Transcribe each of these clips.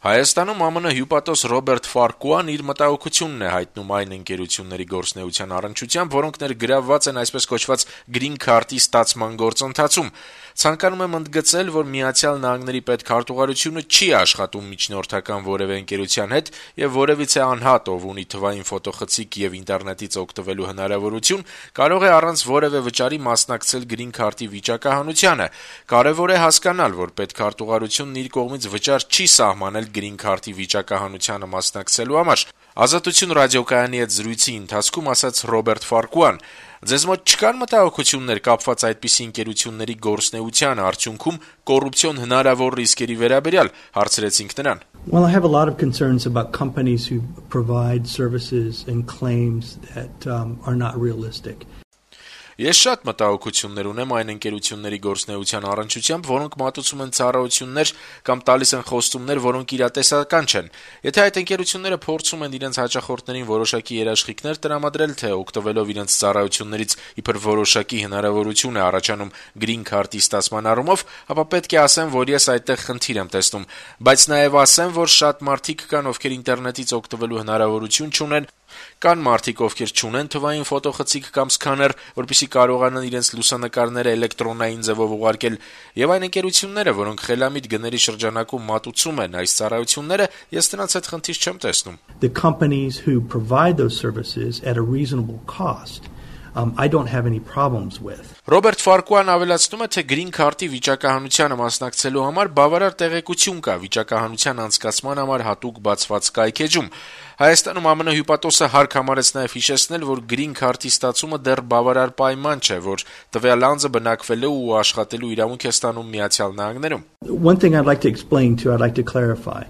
Հայաստանում ԱՄՆ հյուպատոս Ռոբերտ Ֆարկուան իր մտահոգությունն է հայտնում այն ընկերությունների գործունեության առնչությամբ, որոնք ներգրավված են այսպես կոչված Green Card-ի ստացման գործընթացում։ Ցանկանում եմ ընդգծել, որ Միացյալ Նահանգների պետքարտուղարությունը չի աշխատում միջնորդական որևէ ընկերության հետ եւ որևիցե անհատ, ով ունի թվային ֆոտոխցիկ եւ ինտերնետից օգտվելու հնարավորություն, կարող է առանց որևէ վճարի մասնակցել Green Card-ի վիճակահանությանը։ Կարեւոր է հասկանալ, որ պետքարտուղարությունն իր կողմից վճար չի սահմանել Green Card-ի վիճակահանությանը մասնակցելու համար։ Ազատություն ռադիոկայանի հետ զրույցի ընթացքում ասաց Ռոբերտ Ֆարկուան. «Ձեզ մոտ չկան մտահոգություններ կապված այդպիսի ընկերությունների գործունեության արդյունքում կոռուպցիոն հնարավոր ռիսկերի վերաբերյալ», հարցրեցինք նրան։ Well, I have a lot of concerns about companies who provide services and claims that are not realistic. Ես շատ մտահոգություններ ունեմ այն ընկերությունների գործունեության առնչությամբ, որոնք մատուցում են ծառայություններ կամ տալիս են խոստումներ, որոնք իրատեսական չեն։ Եթե այդ ընկերությունները փորձում են իրենց հաճախորդներին որոշակի երաշխիքներ տրամադրել, թե օգտվելով իրենց ծառայություններից իբր որոշակի հնարավորություն է առաջանում Green Card-ի ստացման առումով, ապա պետք է ասեմ, որ ես այդտեղ խնդիր եմ տեսնում, բայց նաև ասեմ, որ շատ մարդիկ կան, ովքեր ինտերնետից օգտվելու հնարավորություն չունեն, կան մարդիկ, ովքեր չունեն թվային ֆոտոխցիկ կամ սկաներ, որպեսզի կարողանան իրենց լուսանկարները էլեկտրոնային ձևով ուղարկել, եւ այն ընկերությունները, որոնք խելամիտ գների շրջանակում մատուցում են այս ծառայությունները, ես նրանց այդ խնդիր չեմ տեսնում։ The companies who provide those services at a reasonable cost, I don't have any problems with. Ռոբերտ Ֆարկուան ավելացնում է, թե Green Card-ի վիճակահանությանը մասնակցելու համար բավարար տեղեկություն կա վիճակահանության անցկացման համար հատուկ բացված կայքեջում։ Հայաստանում ԱՄՆ հյուպատոսը հարկ համարեց նաև հիշեցնել, որ Green Card-ի ստացումը դեռ բավարար պայման չէ, որ տվյալ անձը բնակվելու ու աշխատելու իրավունք է ստանում Միացյալ Նահանգներում։ One thing I'd like to explain to, I'd like to clarify.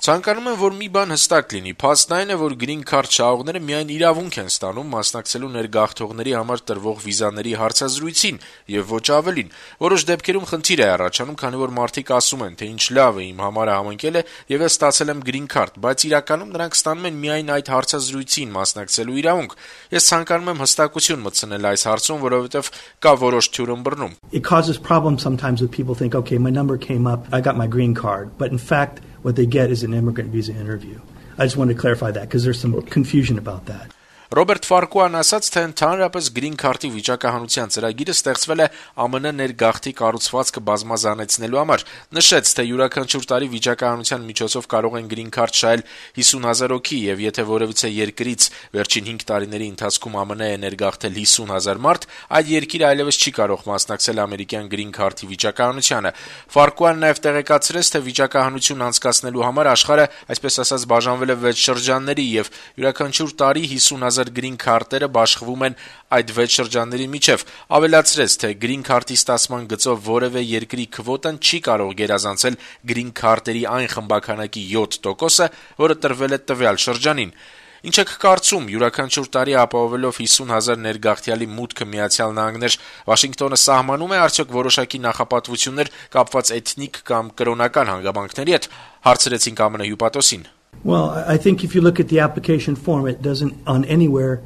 Ցանկանում եմ, որ մի բան հստակ լինի, փաստն այն է, որ Green Card շահողները միայն իրավունք են ստանում մասնակցելու ներգաղթողների համար տրվող վիզաների հարցազրույցին եւ ոչ ավելին։ Որոշ դեպքերում խնդիր է առաջանում, քանի որ մարդիկ ասում են, թե ինչ լավ է, իմ համարը համընկել է եւ ես ստացել եմ Green Card, բայց իրականում նրանք ստանում են միայն այդ հարցազրույցին մասնակցելու իրավունք։ Ես ցանկանում եմ հստակություն մտցնել այս հարցում, որովհետեւ կա որոշ թյուրըմբռնում։ It causes problems sometimes with people think, okay, my number came up, I got my Green Card, but in fact what they get is an immigrant visa interview. I just wanted to clarify that because there's some confusion about that. Ռոբերտ Ֆարկուան ասաց, թե ընդհանրապես Green Card-ի վիճակահանության ծրագիրը ստեղծվել է ԱՄՆ ներգաղթի կառուցվածքը բազմազանեցնելու համար։ Նշեց, թե յուրաքանչյուր տարի վիճակահանության միջոցով կարող են Green Card շահել 50,000 հոգի, եւ եթե որևիցե երկրից վերջին 5 տարիների ընթացքում ԱՄՆ է ներգաղթել 50,000 մարդ, այդ երկիրը այլևս չի կարող մասնակցել ամերիկյան Green Card-ի վիճակահանությանը։ Ֆարկուան նաև տեղեկացրեց, թե վիճակահանություն անցկացնելու համար աշխարհը, այսպես ասած, բաժանվել է 6 շրջանների եւ յուրաքանչյուր տարի 50,000 Green Card-երը բաշխվում են այդ 6 շրջանների միջև։ Ավելացրեց, թե Green Card-ի ստացման գծով որևէ երկրի քվոտան չի կարող գերազանցել Green Card-երի այն խմբականակի 7%-ը, որը տրվել է տվյալ շրջանին։ Ինչ եք կարծում, յուրաքանչյուր տարի ապահովելով 50,000 ներգաղթյալի մուտքը Միացյալ Նահանգներ, Վաշինգտոնը սահմանում է արդյոք որոշակի նախապատվություններ կապված էթնիկ կամ կրոնական հանգամանքների հետ, հարցրեցինք ԱՄՆ հյուպատոսին։ Well, I think if you look at the application form, it doesn't on anywhere.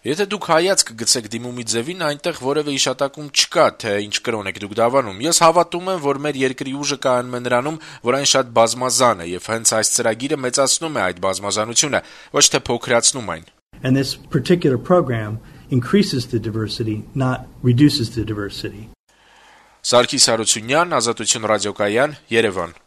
Եթե դուք հայացք գցեք դիմումի ձևին, այնտեղ որևէ իշատակում չկա, թե ինչ կրոն եք դուք դավանում։ Ես հավատում եմ, որ մեր երկրի ուժը կայանում է նրանում, որ այն շատ բազմազան է, եւ հենց այս ծրագիրը մեծացնում է այդ բազմազանությունը, ոչ թե փոքրացնում այն։ And this particular program increases the diversity, not reduces the diversity. Սարգիս Հարությունյան, Ազատություն ռադիոկայան, Երևան։